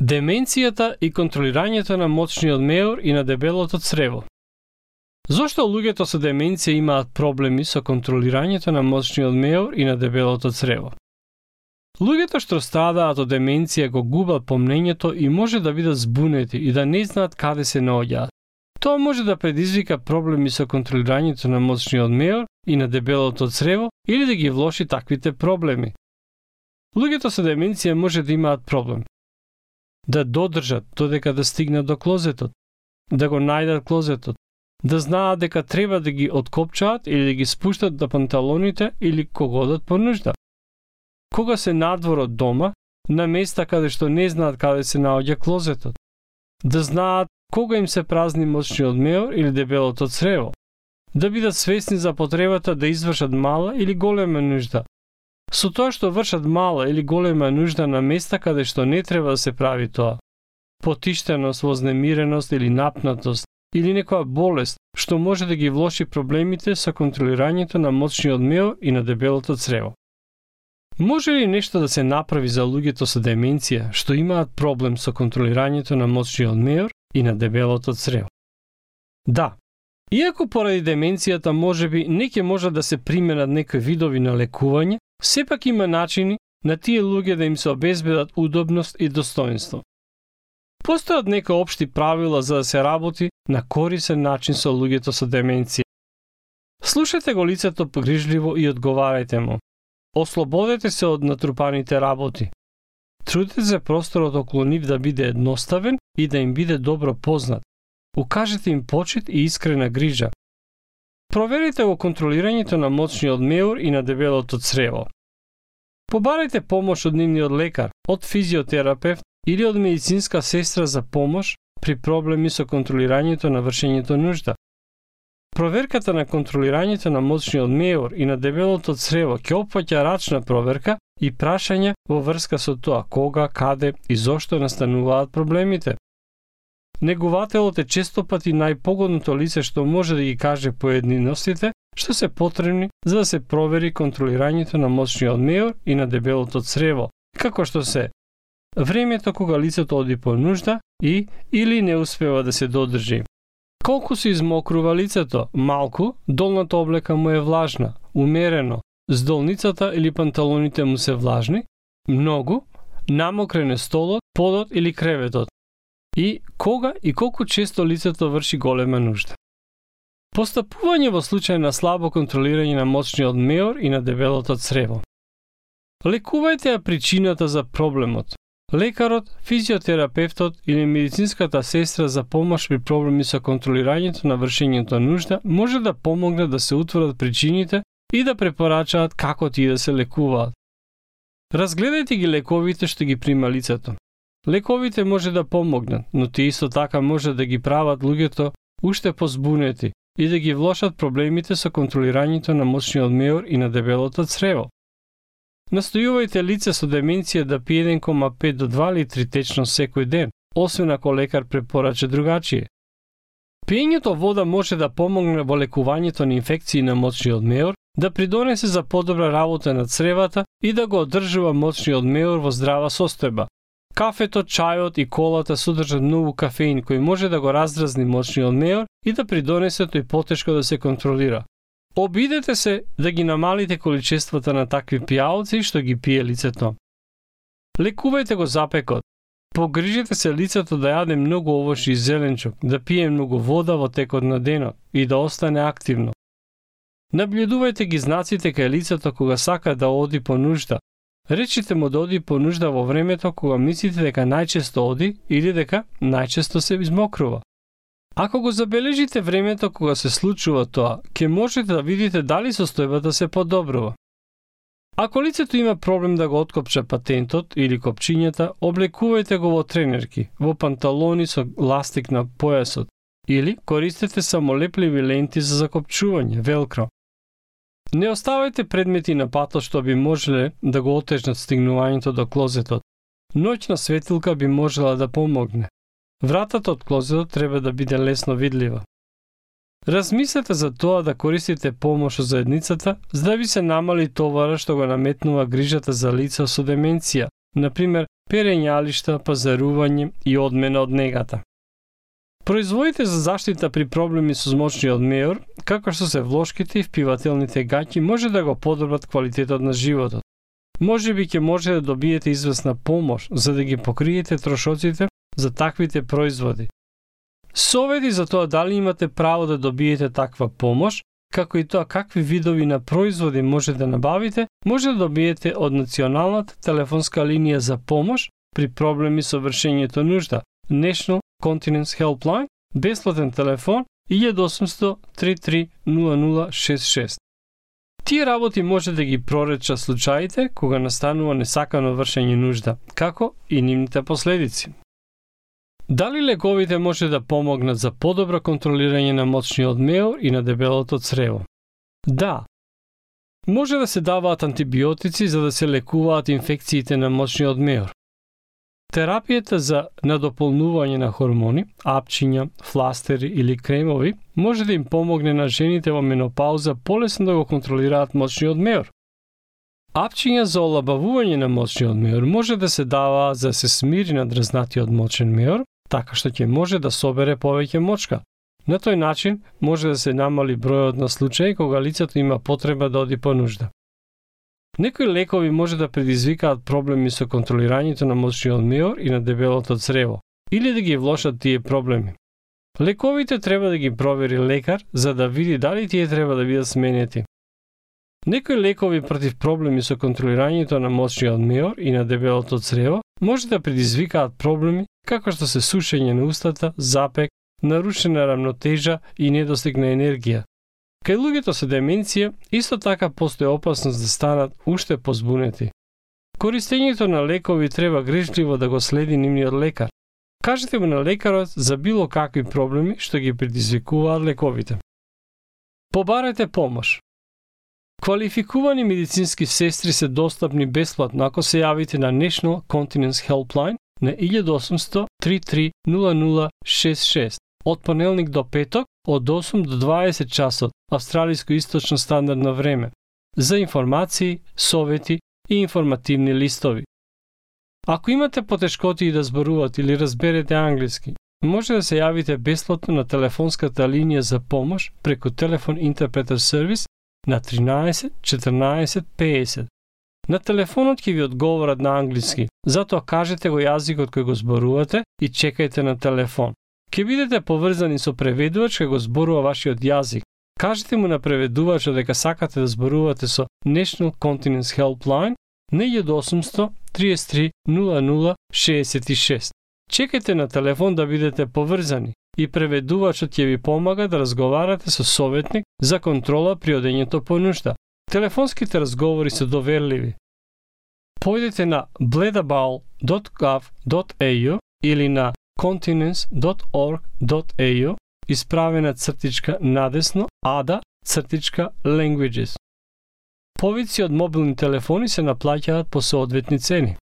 Деменцијата и контролирањето на моцниот меур и на дебелото црево. Зошто луѓето со деменција имаат проблеми со контролирањето на моцниот меур и на дебелото црево? Луѓето што страдаат од деменција го губат помнењето и може да бидат збунети и да не знаат каде се наоѓаат. Тоа може да предизвика проблеми со контролирањето на моцниот меур и на дебелото црево или да ги влоши таквите проблеми. Луѓето со деменција може да имаат проблем да додржат додека да стигнат до клозетот, да го најдат клозетот, да знаат дека треба да ги откопчаат или да ги спуштат до панталоните или кога одат по нужда. Кога се надвор од дома, на места каде што не знаат каде се наоѓа клозетот, да знаат кога им се празни моцниот меур или дебелото црево, да бидат свесни за потребата да извршат мала или голема нужда. Со тоа што вршат мала или голема нужда на места каде што не треба да се прави тоа, потиштеност, вознемиреност или напнатост, или некоја болест што може да ги влоши проблемите со контролирањето на моцниот меур и на дебелото црево. Може ли нешто да се направи за луѓето со деменција што имаат проблем со контролирањето на моцниот меур и на дебелото црево? Да. Иако поради деменцијата можеби не ќе може да се применат некои видови на лекување, сепак има начини на тие луѓе да им се обезбедат удобност и достоинство. Постојат некои општи правила за да се работи на корисен начин со луѓето со деменција. Слушајте го лицето погрижливо и одговарајте му. Ослободете се од натрупаните работи. Трудете се просторот околу нив да биде едноставен и да им биде добро познат. Укажете им почит и искрена грижа. Проверите го контролирањето на моцниот меур и на дебелото црево. Побарајте помош од нивниот лекар, од физиотерапевт или од медицинска сестра за помош при проблеми со контролирањето на вршењето нужда. Проверката на контролирањето на моцниот меур и на дебелото црево ќе опфаќа рачна проверка и прашања во врска со тоа кога, каде и зошто настануваат проблемите. Негувателот е често пати најпогодното лице што може да ги каже поединостите што се потребни за да се провери контролирањето на моцниот меур и на дебелото црево, како што се времето кога лицето оди по нужда и или не успева да се додржи. Колку се измокрува лицето? Малку, долната облека му е влажна, умерено, здолницата или панталоните му се влажни, многу, намокрен е столот, подот или креветот. И кога и колку често лицето врши голема нужда. Постапување во случај на слабо контролирање на моцниот меур и на дебелото црево. Лекувајте ја причината за проблемот. Лекарот, физиотерапевтот или медицинската сестра за помош при проблеми со контролирањето на вршењето нужда може да помогнат да се утврдат причините и да препорачаат како тие да се лекуваат. Разгледајте ги лековите што ги прима лицето. Лековите може да помогнат, но тие исто така може да ги прават луѓето уште позбунети и да ги влошат проблемите со контролирањето на моцниот меур и на дебелото црево. Настојувајте лице со деменција да пие 1,5 до 2 литри течно секој ден, освен ако лекар препорача другачие. Пиењето вода може да помогне во лекувањето на инфекции на моцниот меур, да придонесе за подобра работа на цревата и да го одржува моцниот меур во здрава состојба. Кафето, чајот и колата содржат многу кафеин кој може да го раздразни моцниот меур и да придонесе тој потешко да се контролира. Обидете се да ги намалите количествата на такви пијалци што ги пие лицето. Лекувајте го запекот. Погрижете се лицето да јаде многу овошје и зеленчук, да пие многу вода во текот на денот и да остане активно. Наблюдувајте ги знаците кај лицето кога сака да оди по нужда. Речите му да оди по нужда во времето кога мислите дека најчесто оди или дека најчесто се измокрува. Ако го забележите времето кога се случува тоа, ќе можете да видите дали состојбата се подобрува. Ако лицето има проблем да го откопча патентот или копчињата, облекувајте го во тренерки, во панталони со ластик на појасот или користете самолепливи ленти за закопчување, велкро. Не оставајте предмети на патот што би можеле да го отежнат стигнувањето до клозетот. Ноќна светилка би можела да помогне. Вратата од клозетот треба да биде лесно видлива. Размислете за тоа да користите помош од заедницата, за да ви се намали товара што го наметнува грижата за лица со деменција, например перењалишта, пазарување и одмена од негата. Производите за заштита при проблеми со мочниот меур, како што се влошките и впивателните гаќи, може да го подобрат квалитетот на животот. Можеби ќе може да добиете известна помош за да ги покриете трошоците за таквите производи. Совети за тоа дали имате право да добиете таква помош, како и тоа какви видови на производи може да набавите, може да добиете од Националната телефонска линија за помош при проблеми со вршењето нужда, National Continence Helpline, бесплатен телефон 1800 33 0066. Тие работи може да ги проречат случаите кога настанува несакано вршење нужда, како и нивните последици. Дали лековите може да помогнат за подобро контролирање на мочниот меур и на дебелото црево? Да. Може да се даваат антибиотици за да се лекуваат инфекциите на мочниот меур. Терапијата за надополнување на хормони, апчиња, фластери или кремови може да им помогне на жените во менопауза полесно да го контролираат мочниот меур. Апчиња за олабавување на мочниот меур може да се дава за да се смири надразнатиот мочен меур, така што ќе може да собере повеќе мочка. На тој начин може да се намали бројот на случаи кога лицето има потреба да оди по нужда. Некои лекови може да предизвикаат проблеми со контролирањето на мочниот меур и на дебелото црево, или да ги влошат тие проблеми. Лековите треба да ги провери лекар за да види дали тие треба да бидат сменети. Некои лекови против проблеми со контролирањето на мочниот меур и на дебелото црево може да предизвикаат проблеми како што се сушење на устата, запек, нарушена рамнотежа и недостиг на енергија. Кај луѓето со деменција, исто така постои опасност да станат уште позбунети. Користењето на лекови треба грижливо да го следи нивниот лекар. Кажете му на лекарот за било какви проблеми што ги предизвикуваат лековите. Побарете помош. Квалификувани медицински сестри се достапни бесплатно ако се јавите на National Continence Helpline на 1800 33 0066 од понеделник до петок од 8 до 20 часот австралиско источно стандардно време за информации, совети и информативни листови. Ако имате потешкоти да зборувате или разберете англиски, може да се јавите бесплатно на телефонската линија за помош преку телефон интерпретер сервис на 13 14 50. На телефонот ќе ви одговорат на англиски, затоа кажете го јазикот кој го зборувате и чекајте на телефон. Ке бидете поврзани со преведувач кој го зборува вашиот јазик. Кажете му на преведувачот дека сакате да зборувате со National Continence Helpline на 1800 33 00 66. Чекајте на телефон да бидете поврзани и преведувачот ќе ви помага да разговарате со советник за контрола при одењето по нужда. Телефонските разговори се доверливи. Појдете на bledabal.gov.au или на continence.org.au исправена цртичка надесно ada-languages. Повици од мобилни телефони се наплаќаат по соодветни цени.